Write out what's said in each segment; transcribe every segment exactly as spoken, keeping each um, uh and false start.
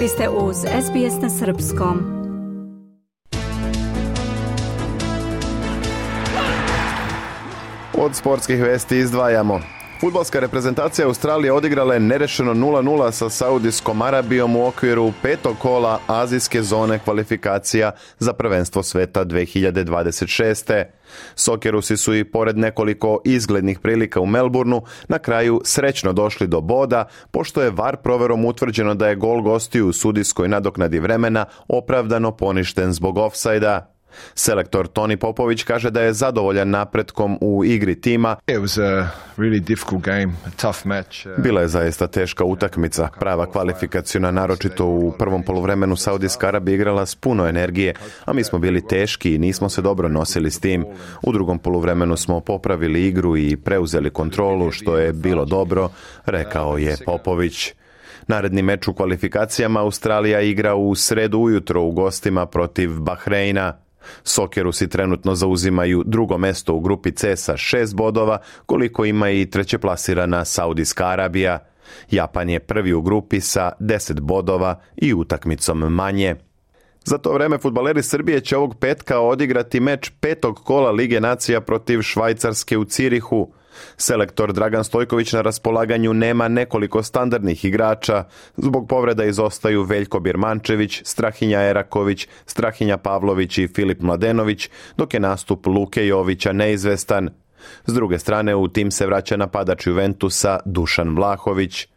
Vi ste uz S B S na srpskom. Od sportskih vesti izdvajamo. Fudbalska reprezentacija Australije odigrala je nerešeno nula nula sa Saudijskom Arabijom u okviru petog kola azijske zone kvalifikacija za prvenstvo sveta dve hiljade dvadeset šeste. Sokerusi su i pored nekoliko izglednih prilika u Melbourneu na kraju srećno došli do boda, pošto je V A R proverom utvrđeno da je gol gostiju u sudijskoj nadoknadi vremena opravdano poništen zbog ofsajda. Selektor Toni Popović kaže da je zadovoljan napretkom u igri tima. Bila je zaista teška utakmica, prava kvalifikaciona, naročito u prvom poluvremenu Saudijska Arabija igrala s puno energije, a mi smo bili teški i nismo se dobro nosili s tim. U drugom poluvremenu smo popravili igru i preuzeli kontrolu, što je bilo dobro, rekao je Popović. Naredni meč u kvalifikacijama Australija igra u sredu ujutro u gostima protiv Bahreina. Sokerusi trenutno zauzimaju drugo mesto u grupi C sa šest bodova, koliko ima i trećeplasirana Saudijska Arabija. Japan je prvi u grupi sa deset bodova i utakmicom manje. Za to vreme fudbaleri Srbije će ovog petka odigrati meč petog kola Lige nacija protiv Švajcarske u Cirihu. Selektor Dragan Stojković na raspolaganju nema nekoliko standardnih igrača. Zbog povreda izostaju Veljko Birmančević, Strahinja Eraković, Strahinja Pavlović i Filip Mladenović, dok je nastup Luke Jovića neizvestan. S druge strane, u tim se vraća napadač Juventusa Dušan Vlahović.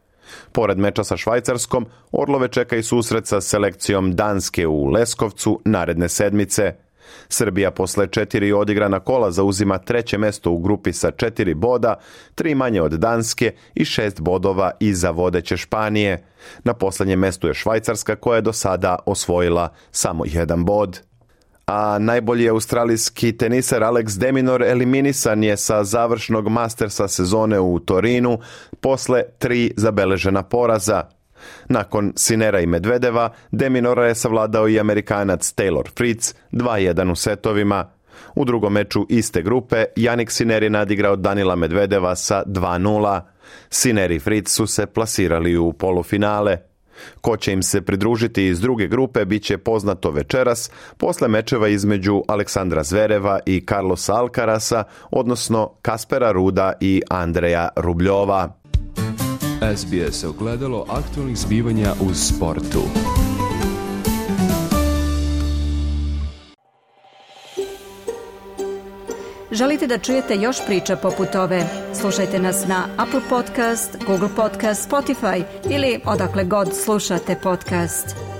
Pored meča sa Švajcarskom, Orlove čeka i susret sa selekcijom Danske u Leskovcu naredne sedmice. Srbija posle četiri odigrana kola zauzima treće mesto u grupi sa četiri boda, tri manje od Danske i šest bodova iza vodeće Španije. Na posljednjem mestu je Švajcarska, koja je do sada osvojila samo jedan bod. A najbolji australijski teniser Alex de Minaur eliminisan je sa završnog Mastersa sezone u Torinu posle tri zabeležena poraza. Nakon Sinera i Medvedeva, de Minaura je savladao i Amerikanac Taylor Fritz dva jedan u setovima. U drugom meču iste grupe, Jannik Sinner je nadigrao Danila Medvedeva sa dva nula. Sinner i Fritz su se plasirali u polufinale. Ko će im se pridružiti iz druge grupe bit će poznato večeras, posle mečeva između Aleksandra Zvereva i Carlosa Alcarasa, odnosno Kaspera Ruda i Andreja Rubljova. S B S ogledalo aktualnih zbivanja u sportu. Želite da čujete još priča poput ove? Slušajte nas na Apple Podcast, Google Podcast, Spotify ili odakle god slušate podcast.